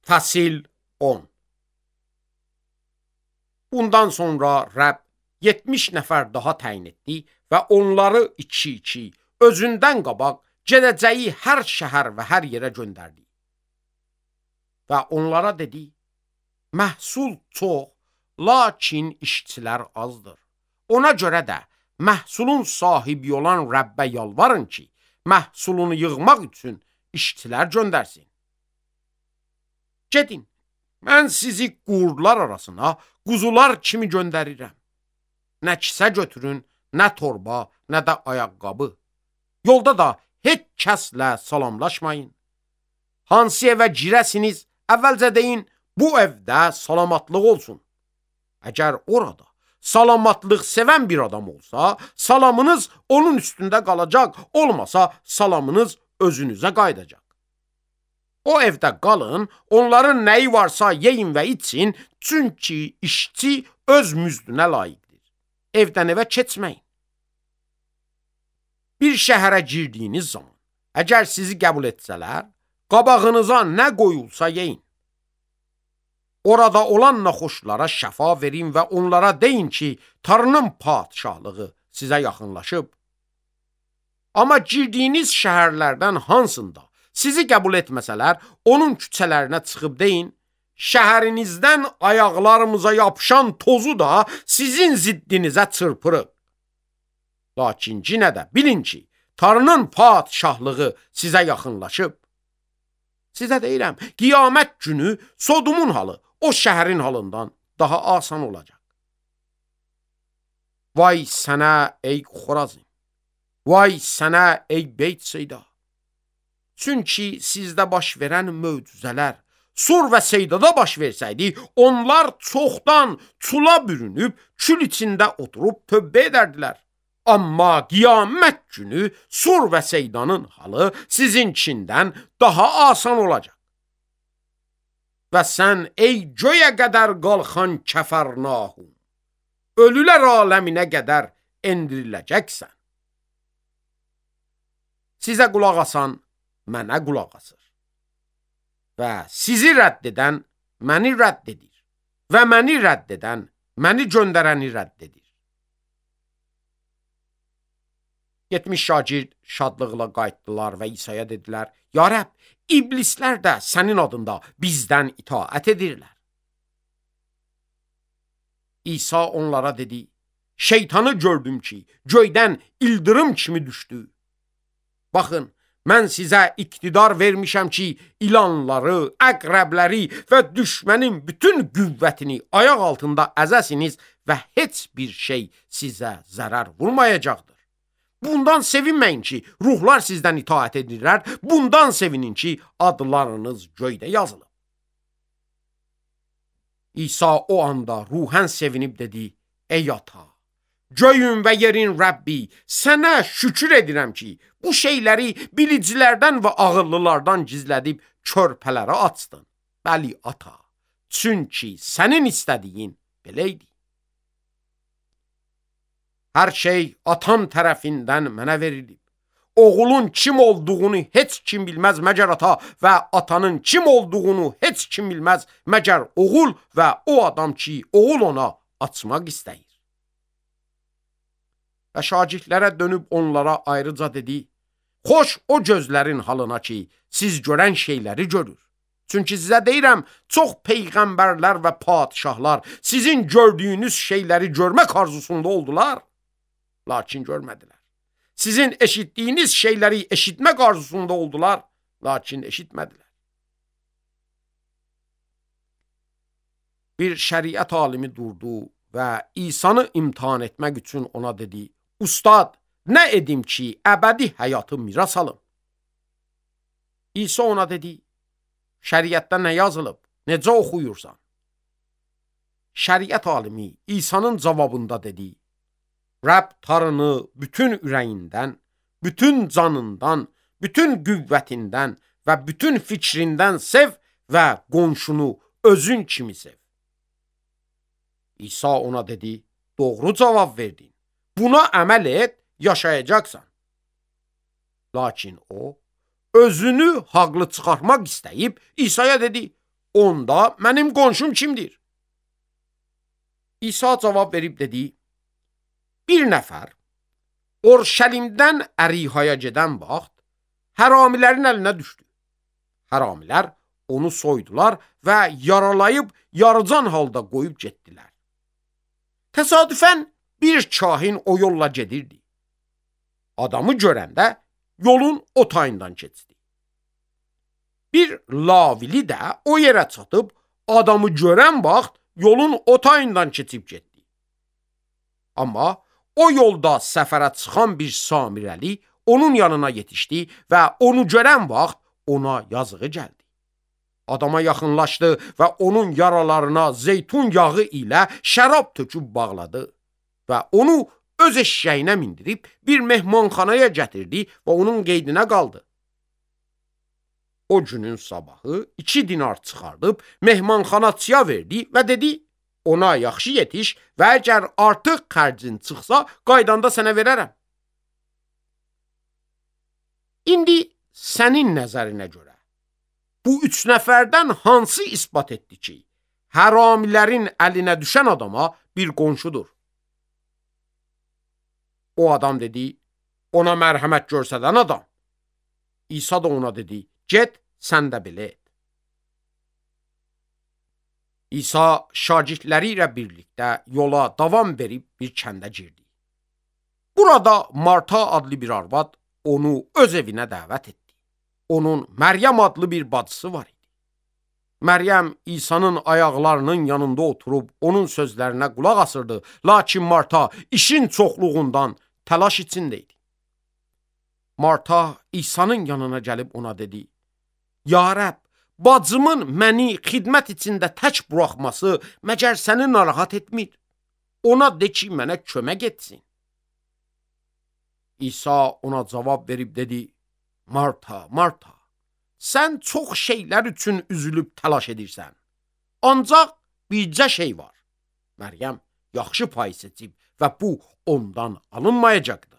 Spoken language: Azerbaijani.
Fəsil 10. Bundan sonra Rəbb 70 nəfər daha təyin etdi və onları iki özündən qabaq gedəcəyi hər şəhər və hər yerə göndərdi. Və onlara dedi, məhsul çox, lakin işçilər azdır. Ona görə də məhsulun sahibi olan Rəbbə yalvarın ki, məhsulunu yığmaq üçün işçilər göndərsin. Gedin, mən sizi qurdlar arasına quzular kimi göndərirəm. Nə kisə götürün, nə torba, nə də ayaqqabı. Yolda da heç kəslə salamlaşmayın. Hansı evə girəsiniz, əvvəlcə deyin, bu evdə salamatlıq olsun. Əgər orada salamatlıq sevən bir adam olsa, salamınız onun üstündə qalacaq, olmasa salamınız özünüzə qayıdacaq. O evdə qalın, onların nəyi varsa yeyin və için, çünki işçi öz müzdünə layiqdir. Evdən evə keçməyin. Bir şəhərə girdiyiniz zaman, əgər sizi qəbul etsələr, qabağınıza nə qoyulsa yeyin. Orada olan naxoşlara şəfa verin və onlara deyin ki, Tanrının padişahlığı sizə yaxınlaşıb. Amma girdiyiniz şəhərlərdən hansında sizi qəbul etməsələr, onun küçələrinə çıxıb deyin, şəhərinizdən ayaqlarımıza yapışan tozu da sizin ziddinizə çırpırıq. Lakin yenə də bilin ki, Tanrının padişahlığı sizə yaxınlaşıb. Sizə deyirəm, qiyamət günü Sodomun halı o şəhərin halından daha asan olacaq. Vay sənə ey Xorazim, vay sənə ey Beyt-Seyda. Çünki sizdə baş verən möcüzələr Sur və Seydada baş versəydi, onlar çoxdan çula bürünüb, kül içində oturub tövbə edərdilər. Amma qiyamət günü Sur və Seydanın halı sizinkindən daha asan olacaq. Və sən ey göyə qədər qalxan Kəfərnahum, ölülər aləminə qədər endiriləcəksən. Sizə qulaq asan, mənə qulaq asır. Və sizi rədd edən, məni rədd edir. Və məni rədd edən, məni göndərəni rədd edir. 70 şagird şadlıqla qayıtdılar və İsa'ya dedilər, ya Rəbb, iblislər də sənin adında bizdən itaət edirlər. İsa onlara dedi, şeytanı gördüm ki, göydən ildırım kimi düşdü. Baxın, mən sizə iqtidar vermişəm ki, ilanları, əqrəbləri və düşmənin bütün qüvvətini ayaq altında əzəsiniz və heç bir şey sizə zərər vurmayacaqdır. Bundan sevinməyin ki, ruhlar sizdən itaət edirlər, bundan sevinin ki, adlarınız göydə yazılıb. İsa o anda ruhən sevinib dedi, ey ata, göyün və yerin Rəbbi, sənə şükür edirəm ki, bu şeyləri bilicilərdən və ağıllılardan gizlədib körpələrə açdın. Bəli, ata, çünki sənin istədiyin belə idi. Hər şey atam tərəfindən mənə verilib. Oğulun kim olduğunu heç kim bilməz məgər ata və atanın kim olduğunu heç kim bilməz məgər oğul və o adam ki, oğul ona açmaq istəyir. Və şagirdlərə dönüb onlara ayrıca dedi, xoş o gözlərin halına ki, siz görən şeyləri görür. Çünki sizə deyirəm, çox peyğəmbərlər və padişahlar sizin gördüyünüz şeyləri görmək arzusunda oldular, lakin görmədilər. Sizin eşitdiyiniz şeyləri eşitmək arzusunda oldular, lakin eşitmədilər. Bir şəriət alimi durdu və İsa'nı imtihan etmək üçün ona dedi, Ustad, nə edim ki, əbədi həyatı miras alım? İsa ona dedi, şəriətdə nə yazılıb, necə oxuyursan? Şəriət alimi İsa'nın cavabında dedi, Rəbb Tanrını bütün ürəyindən, bütün canından, bütün qüvvətindən və bütün fikrindən sev və qonşunu özün kimi sev. İsa ona dedi, doğru cavab verdin. Buna əməl et, yaşayacaqsan. Lakin o, özünü haqlı çıxarmaq istəyib, İsa'ya dedi, onda mənim qonşum kimdir? İsa cavab verib dedi, bir nəfər Orşəlimdən Ərihaya gedən vaxt həramilərin əlinə düşdü. Həramilər onu soydular və yaralayıb yarıcan halda qoyub getdilər. Təsadüfən bir kahin o yolla gedirdi. Adamı görəndə yolun o tayından keçdi. Bir lavili də o yerə çatıb adamı görən vaxt yolun o tayından keçib getdi. Amma o yolda səfərə çıxan bir samirəli onun yanına yetişdi və onu görən vaxt ona yazığı gəldi. Adama yaxınlaşdı və onun yaralarına zeytun yağı ilə şərab töküb bağladı və onu öz eşşəyinə mindirib bir mehmanxanaya gətirdi və onun qeydinə qaldı. O günün sabahı 2 dinar çıxardıb mehmanxanaçıya verdi və dedi, ona yaxşı yetiş və əgər artıq xərcin çıxsa, qaydanda sənə verərəm. İndi sənin nəzərinə görə bu 3 nəfərdən hansı isbat etdi ki, həramilərin əlinə düşən adama bir qonşudur? O adam dedi, ona mərhəmət göstərən adam. İsa da ona dedi, get, sən də belə et. İsa şagirdləri ilə birlikdə yola davam verib bir kəndə girdi. Burada Marta adlı bir arvad onu öz evinə dəvət etdi. Onun Məryəm adlı bir bacısı var idi. Məryəm İsa'nın ayaqlarının yanında oturub onun sözlərinə qulaq asırdı. Lakin Marta işin çoxluğundan təlaş içində idi. Marta İsa'nın yanına gəlib ona dedi, Ya Rəbb, bacımın məni xidmət içində tək buraxması məgər səni narahat etmir. Ona de ki, mənə kömək etsin. İsa ona cavab verib dedi, Marta, Marta, sən çox şeylər üçün üzülüb təlaş edirsən. Ancaq bircə şey var. Məryəm yaxşı pay seçib və bu ondan alınmayacaqdır.